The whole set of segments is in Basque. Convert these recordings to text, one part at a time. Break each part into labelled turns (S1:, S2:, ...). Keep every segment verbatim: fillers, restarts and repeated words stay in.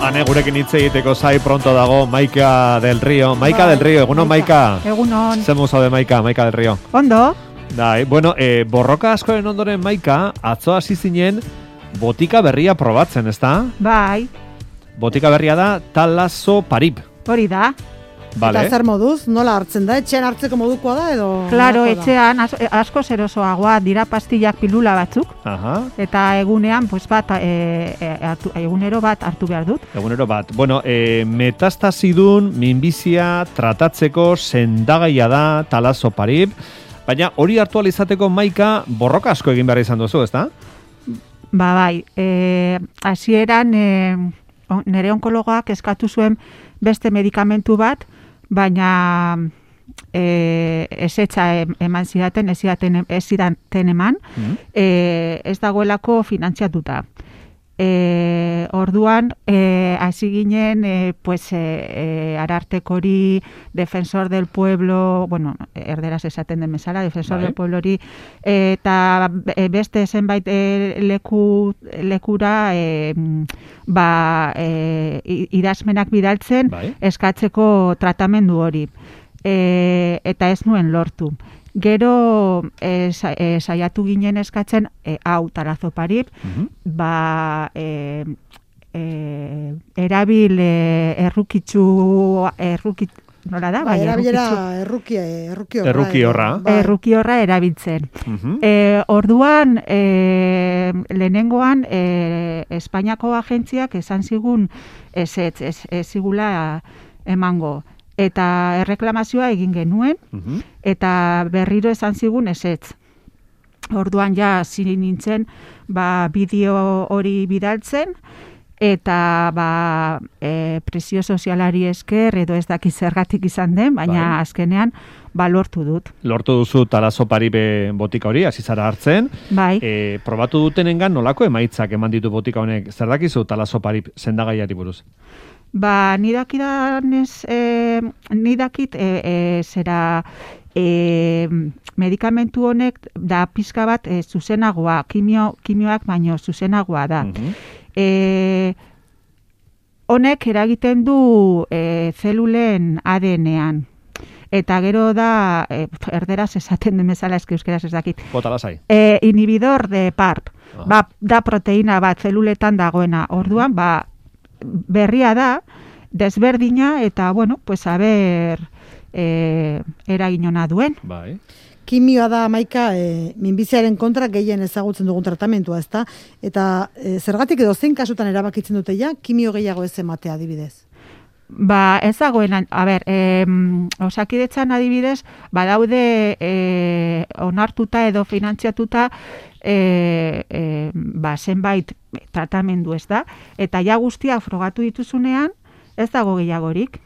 S1: Ane, gurekin hitz egiteko zai pronto dago Maika del Río. Maika del Río, egunon Maika.
S2: Egunon.
S1: Zemu zaude Maika, Maika del Río.
S2: Ondo.
S1: Dai, bueno, eh, borroka askoren ondoren Maika, atzo hasi zinen botika berria probatzen, ezta?
S2: Bai.
S1: Botika berria da Talazo Parib.
S2: Hori da.
S1: Vale.
S3: Eta zer moduz, nola hartzen da? Etxean hartzeko modukoa da edo?
S2: Claro,
S3: nolakoa da?
S2: etxean as, asko zerosoagoa dira pastillak pilula batzuk.
S1: Aha.
S2: Eta egunean, pues bat, e, e, hartu, egunero bat hartu behar dut.
S1: Egunero bat. Bueno, eh, metastasidun minbizia tratatzeko sendagaia da Talazo Parib. Baina hori hartu ahal izateko Maika borroka asko egin behar izan duzu, ezta?
S2: Ba bai, e, hasieran e, nire onkologoak eskatu zuen beste medikamentu bat, baina e, ezetza eman zidaten, ez zidaten, ez zidaten eman, mm-hmm. e, ez dagoelako finantziatuta. E, orduan, e, hasi ginen, e, pues, e, e, Arartekori, Defensor del Pueblo, bueno, erderaz esaten den bezala, Defensor
S1: bai.
S2: del Pueblo hori, e, eta beste zenbait e, leku, lekura, e, ba, e, idazmenak bidaltzen,
S1: bai.
S2: eskatzeko tratamendu hori. E, eta ez nuen lortu. Gero e, sa, e, saiatu ginen eskatzen e, hau Talazo Parib, mm-hmm. ba e, e, erabil e, errukitzu errukit nola da?
S3: Bai, erabilera erruki erruki horra.
S1: Erruki horra.
S3: Bai.
S2: Erruki horra erabiltzen.
S1: Mm-hmm.
S2: E, orduan e, lehenengoan e, Espainiako agentziak esan zigun ez ez, ez, ez zigula emango. Eta erreklamazioa egin genuen, uh-huh. eta berriro esan zigun ezetz. Orduan ja ziri nintzen ba, bideo hori bidaltzen, eta ba, e, presio sozialari esker, edo ez daki zergatik izan den, baina bai. Azkenean ba, lortu dut.
S1: Lortu duzu Talazo Paribe botika hori, hasi zara hartzen.
S2: Bai.
S1: E, probatu dutenengan nolako emaitzak eman ditu botika honek? Zer dakizu Talazo Parib sendagaiari buruz?
S2: Ba, nidakidanez, e, nidakit, e, e, zera, e, medikamentu honek da pizka bat e, zuzenagoa, kimio, kimioak baino zuzenagoa da. Mm-hmm. E, honek eragiten du e, zelulen A D N-ean. Eta gero da, e, erderaz esaten den bezala, eski euskeraz ez dakit.
S1: Bota lasai.
S2: E, inhibidor de P A R P.
S1: Ah.
S2: Ba, da proteína bat zeluletan dagoena. Orduan, ba, berria da, desberdina, eta, bueno, pues, a ber, e, eraginona duen.
S1: Bai.
S3: Kimioa da, Maika, e, minbiziaren kontra gehien ezagutzen dugun tratamentua, ezta? Eta e, zergatik edo zein kasutan erabakitzen dute ja, kimio gehiago ez ematea adibidez?
S2: Ba, ez dagoen, a ber, e, Osakidetzan adibidez, badaude e, onartuta edo finantziatuta e, e, ba, zenbait tratamendu, ez da? Eta ja guztiak frogatu dituzunean, ez dago gehiagorik.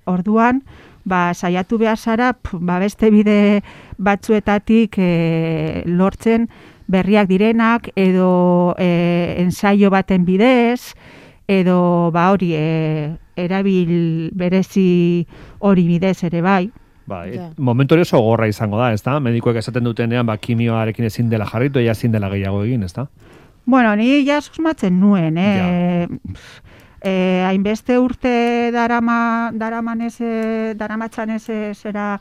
S2: Orduan, ba, saiatu behar zara, ba, beste bide batzuetatik e, lortzen berriak direnak, edo e, ensaio baten bidez, edo ba hori e, erabil berezi hori bidez ere bai.
S1: Bai,
S3: ja.
S1: Momentu hori oso gorra izango da, ezta? Medikoek esaten dutenean, ba, kimioarekin ezin dela jarritu, ja ezin dela gehiago egin, ezta?
S2: Bueno, ni ja susmatzen nuen, eh? Ja. E, hainbeste urte darama, daraman ez, daramatzan ez zera,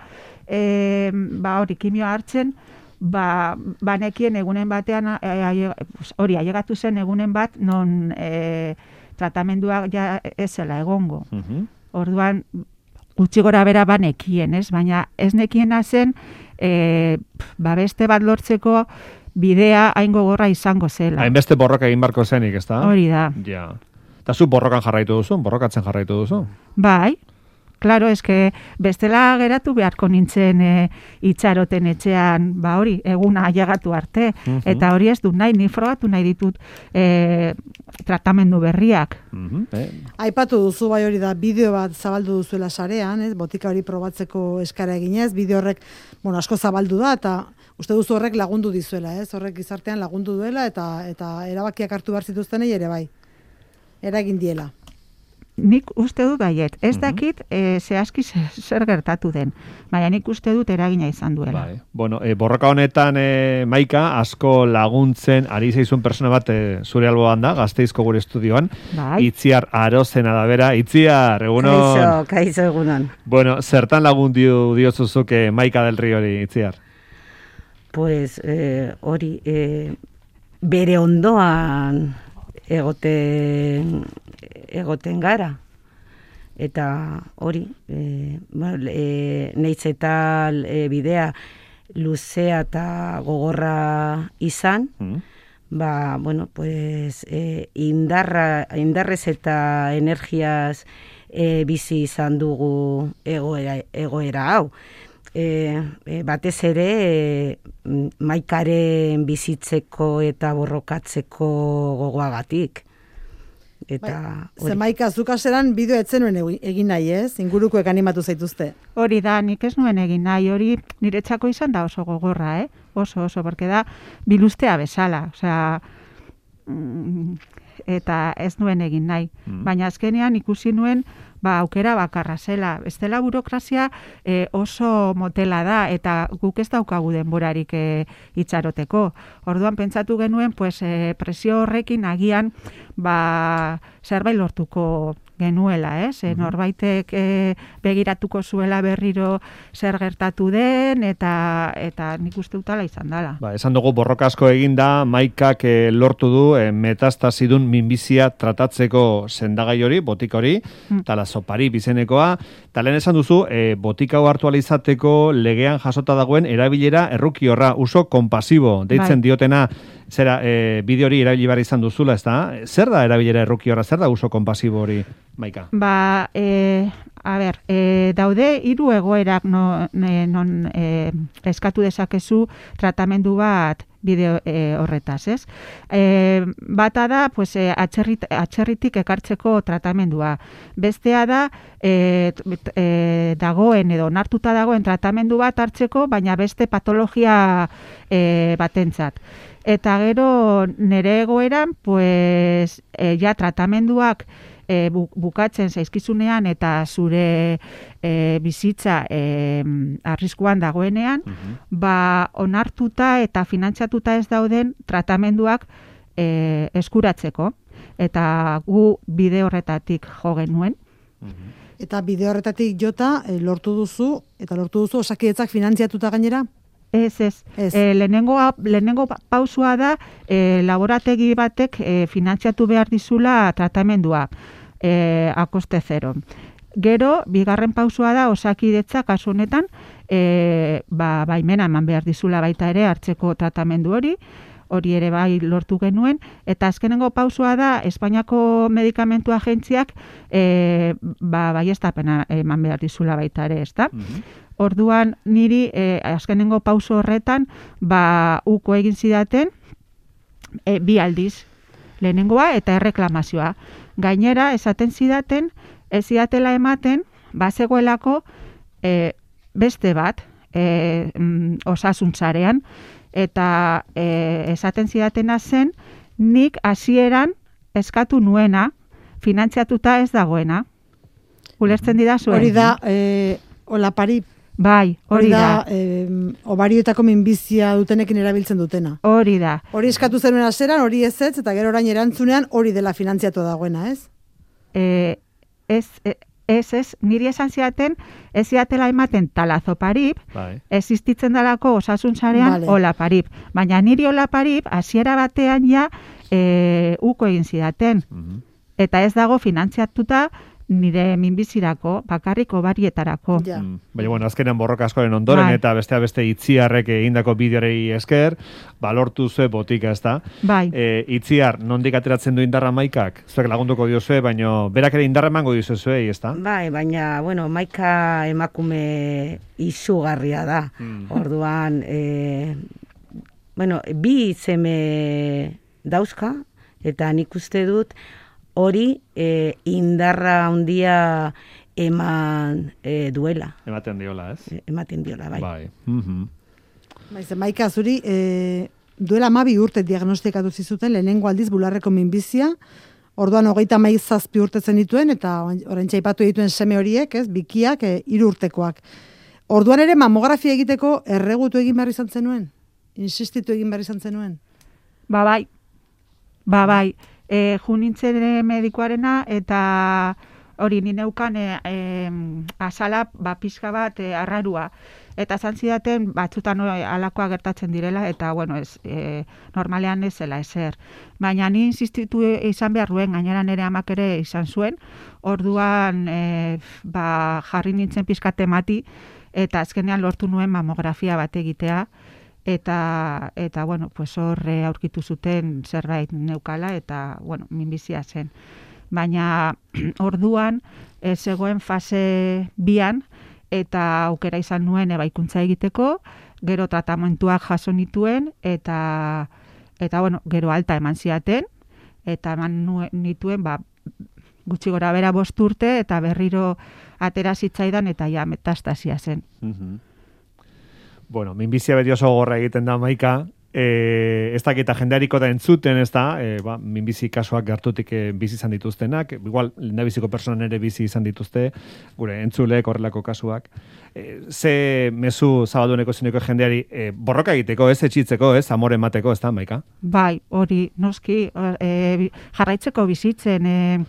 S2: e, ba hori kimioa hartzen, ba, banekien egunen batean, hori, e, ailegatu zen egunen bat, non e, tratamendua ja ez zela egongo. Uh-huh. Orduan, gutxi gora bera banekien, ez? Baina ez nekiena zen, e, ba beste bat lortzeko bidea hain gogorra izango zela.
S1: Hainbeste borroka egin barko zenik, ezta?
S2: Hori da.
S1: Ja. Eta zu borrokan jarraitu duzu, borrokatzen jarraitu duzu?
S2: Bai. Claro, eske bestela geratu beharko nintzen e, itxaroten etxean, ba hori, eguna ailegatu arte. Uh-huh. Eta hori ez dut nahi, ni frogatu nahi ditut e, tratamendu berriak.
S1: Uh-huh. eh.
S3: Aipatu duzu bai hori da, bideo bat zabaldu duzuela sarean, ez? Botika hori probatzeko eskara eginez, bideo horrek, bueno, asko zabaldu da, eta uste duzu horrek lagundu dizuela, ez? Horrek gizartean lagundu duela, eta eta erabakiak hartu behar zituztenei ere bai. Eragin diela.
S2: nik uste dut baiet. Ez dakit e, zehazki zer gertatu den. Baina nik uste dut eragina izan duela.
S1: Bai. Bueno, e, borroka honetan e, Maika, asko laguntzen ari zaizun persona bat e, zure alboan da, Gasteizko gure estudioan.
S2: Bai.
S1: Itziar Arozena da bera. Itziar, egunon.
S4: Kaixo, kaixo egunon.
S1: Bueno, zertan lagundu diozuzuke Maika del Riori, Itziar?
S4: Pues eh, hori, eh, bere ondoan egoten, egoten gara. Eta hori, e, bueno, e, neiz eta e, bidea luzea eta gogorra izan, mm. ba, bueno, pues e, indarra, indarrez eta energiaz e, bizi izan dugu egoera, egoera hau. E, e, batez ere e, Maikaren bizitzeko eta borrokatzeko gogoagatik. Eta
S3: bai, ze Maika, zuk aseran bideo etzen nuen egin nahi, ez? Ingurukoek animatu zaituzte.
S2: Hori da, nik ez nuen egin nahi, hori niretzako izan da oso gogorra, eh? Oso, oso, porque da bilustea bezala, osea, mm, eta ez nuen egin nahi. Mm. Baina azkenean ikusi nuen, ba, aukera bakarra zela. Bestela burokrazia e, oso motela da, eta guk ez daukagu denborarik e, itxaroteko. Orduan pentsatu genuen, pues, e, presio horrekin agian, ba, zerbait lortuko genuela, ez? Mm-hmm. Norbaitek e, begiratuko zuela berriro zer gertatu den, eta eta nik uste utala izan dela.
S1: Ba, esan dugu borroka asko eginda, Maikak e, lortu du e, metastasidun minbizia tratatzeko sendagai hori, botika hori, mm. talazopari bizenekoa, eta lehen esan duzu, e, botika hau hartu alizateko legean jasota dagoen erabilera errukiorra, uso kompasibo, deitzen bai. Diotena, zera, e, bideo hori erabili behar izan duzula, ez da? Zer da erabilera errukiorra, zer da uso kompasibo hori, Maika?
S2: Ba, e, a ber, e, daude hiru egoerak no, ne, non e, eskatu dezakezu tratamendu bat bideo e, horretaz, ez? E, bata da, pues, e, atxerrit, atxerritik ekartzeko tratamendua. Bestea da, e, e, dagoen edo onartuta dagoen tratamendu bat hartzeko, baina beste patologia e, batentzat. Eta gero nire egoeran, pues, e, ja tratamenduak e, bukatzen zaizkizunean eta zure e, bizitza e, arriskuan dagoenean, uh-huh. ba, onartuta eta finantzatuta ez dauden tratamenduak e, eskuratzeko. Eta gu bide horretatik jo genuen.
S3: Uh-huh. Eta bide horretatik jota e, lortu duzu, eta lortu duzu Osakidetzak finantziatuta gainera?
S2: Ez, ez. ez. E, lehenengo, lehenengo pausua da e, laborategi batek e, finantziatu behar dizula tratamendua e, akoste zero. Gero, bigarren pausua da Osakidetza kasu honetan e, ba, baimena eman behar dizula baita ere hartzeko tratamendu hori, hori ere bai lortu genuen, eta azkenengo pausua da Espainiako Medikamentu Agentziak e, ba, baiestapena eman behar dizula baita ere, ezta? Mm-hmm. Orduan niri e, azkenengo pauso horretan ba uko egin zidaten e, bi aldiz, lehenengoa eta erreklamazioa. Gainera esaten zidaten ez zidatela ematen bazegoelako e, beste bat e, mm, osasuntzarean, eta e, esaten zidatena zen nik hasieran eskatu nuena finantziatuta ez dagoena. Ulertzen didazu?
S3: Hori da e, olapari.
S2: Bai, hori da.
S3: da eh, obarioetako minbizia dutenekin erabiltzen dutena.
S2: Hori da.
S3: Hori eskatu zenuen aseran, hori ez ez, eta gero orain erantzunean hori dela finantziatu dagoena, ez?
S2: E, ez, ez, ez, niri esan ziaten, ez ziatela ematen talazoparip, bai. Existitzen dalako osasunzarean vale. Olaparip. Baina niri olaparip, hasiera batean ja, e, uko egin zidaten. Mm-hmm. Eta ez dago finantziatuta, nire minbizirako, bakarriko barietarako.
S3: Ja.
S1: Mm. Baina, bueno, azkenean borroka askoren ondoren, bai. Eta bestea beste Itziarrek egindako bideorei esker, balortu zue botika, ez da?
S2: Bai.
S1: E, Itziar, nondik ateratzen du indarra Maikak? Zuek lagunduko diozue, baina berak ere indarra emango diozuei, ez da?
S4: Bai, baina, bueno, Maika emakume izugarria da. Mm. Orduan, e, bueno, bi seme dauzka, eta nik uste dut, hori e, indarra handia eman e, duela.
S1: Ematen diola, ez?
S4: E, ematen diola, bai.
S1: Bai. Mm-hmm.
S3: Baiz, Maika, zuri, e, duela hamabi urte diagnostikatu zizuten lehenengo aldiz bularreko minbizia, orduan hogeita hamairu zazpi urtetzen dituen, eta orain txaipatu dituen seme horiek, ez, bikiak, e, hiru urtekoak. Orduan ere mamografia egiteko erregutu egin behar izan zenuen? Insistitu egin behar izan zenuen?
S2: Ba bai, ba bai, e, junintzen medikoarena eta hori nineukan e, e, azala ba, pixka bat e, arrarua. Eta zantzidaten batzutan alakoa gertatzen direla, eta bueno, ez, e, normalean ez zela ezer. Baina ni insistitu izan behar duen, gainera nire amak ere izan zuen, orduan e, ba, jarri nintzen pixka temati, eta azkenean lortu nuen mamografia bat egitea, eta, eta bueno, pues hor aurkitu zuten zerbait neukala, eta bueno, minbizia zen. Baina orduan ez zegoen fase bian, eta aukera izan nuen ebaikuntza egiteko, gero tratamentuak jaso nituen, eta, eta bueno, gero alta eman ziaten, eta eman nuen, nituen, ba, gutxi gora bera bost urte, eta berriro atera zitzaidan, eta ja metastasia zen.
S1: Mm-hmm. Bueno, minbizia beti oso gorra egiten da, Maika, e, ez dakita jendeariko da entzuten, ez da, e, ba, minbizi kasuak gertutik e, bizi izan dituztenak, igual, lehendabiziko personan ere bizi izan dituzte, gure entzuleek horrelako kasuak. E, ze mezu zabalduneko zineko jendeari e, borroka egiteko, ez etxitzeko, ez amore emateko, ez da, Maika?
S2: Bai, hori, noski, e, jarraitzeko bizitzen, e,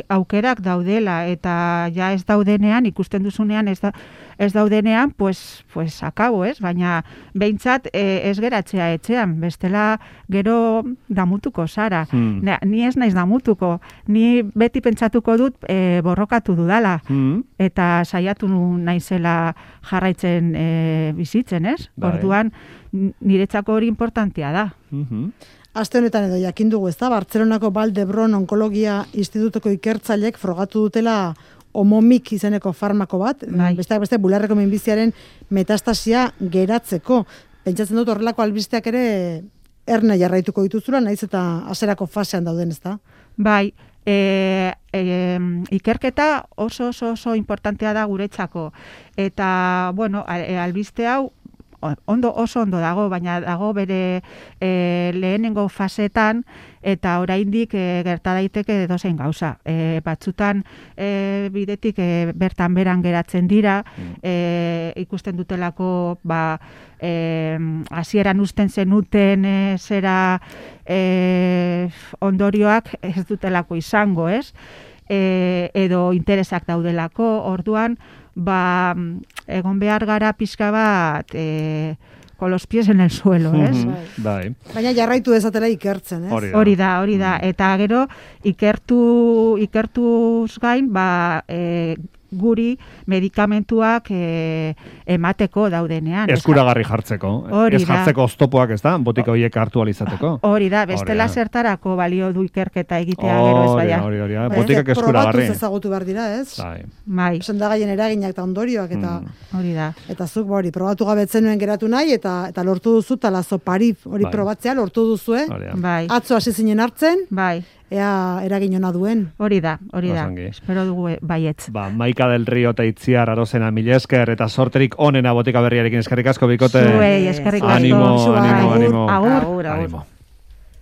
S2: aukerak daudela, eta ja ez daudenean, ikusten duzunean ez, da, ez daudenean, pues, pues akabo, ez? Baina behintzat e, ez geratzea etxean, bestela gero damutuko zara. Hmm. Ne, ni ez naiz damutuko, ni beti pentsatuko dut e, borrokatu dudala, hmm. eta saiatu naizela jarraitzen e, bizitzen, ez? Bai. Orduan, niretzako hori importantea da.
S1: Mm-hmm.
S3: Aste honetan edo jakin dugu, ez da, Bartzelonako Valdebron Onkologia Institutuko ikertzaileek frogatu dutela Omomik izeneko farmako bat, bai. Besteak beste bularreko minbiziaren metastasia geratzeko. Pentsatzen dut horrelako albisteak ere erne jarraituko dituzula, naiz eta hasierako fasean dauden, ez da?
S2: Bai, e, e, ikerketa oso oso oso importantea da guretzako. Eta, bueno, albiste hau ondo oso ondo dago, baina dago bere e, lehenengo fasetan, eta oraindik e, gerta daiteke edozein gauza. E, batzutan e, bidetik e, bertan beran geratzen dira, e, ikusten dutelako ba, e, hasieran usten zenuten e, zera e, ondorioak ez dutelako izango, ez? E, edo interesak daudelako, orduan ba, egon behar gara pixka bat e, con los pies en el suelo, ez?
S1: Mm-hmm. Bai.
S3: Baina jarraitu dezatela ikertzen, ez?
S2: Hori da, hori da. Eta gero, ikertu, ikertuz gain, ba, e, guri medikamentuak e, emateko daudenean.
S1: Eskuragarri jartzeko. Ez jartzeko oztopoak, ez da? Botika horiek hartu alizateko.
S2: Hori da, bestela zertarako balio du ikerketa egitea gero ez baina.
S1: Hori, hori, hori. Botikak eskuragarri.
S3: Probatuz ezagutu behar dira, ez?
S1: Bai.
S2: Bai.
S3: Sendagaien eraginak eta ondorioak, eta
S2: hori da.
S3: Eta zuk, hori, probatu gabetzen nuen geratu nahi, eta eta lortu duzu, talazoparif hori probatzea, lortu duzue.
S2: Bai.
S3: Atzo hasi zinen hartzen.
S2: Bai.
S3: Ea eragin ona duen.
S2: Hori da, hori da. Espero dugu baietz.
S1: Ba, Maika del Rio eta Itziar Arozena mila esker eta sorterik onena botika berriarekin eskerrik asko bikote.
S2: Zuei, eskerrik asko.
S1: Animo, animo, animo.
S2: Agur,
S1: agur. Animo.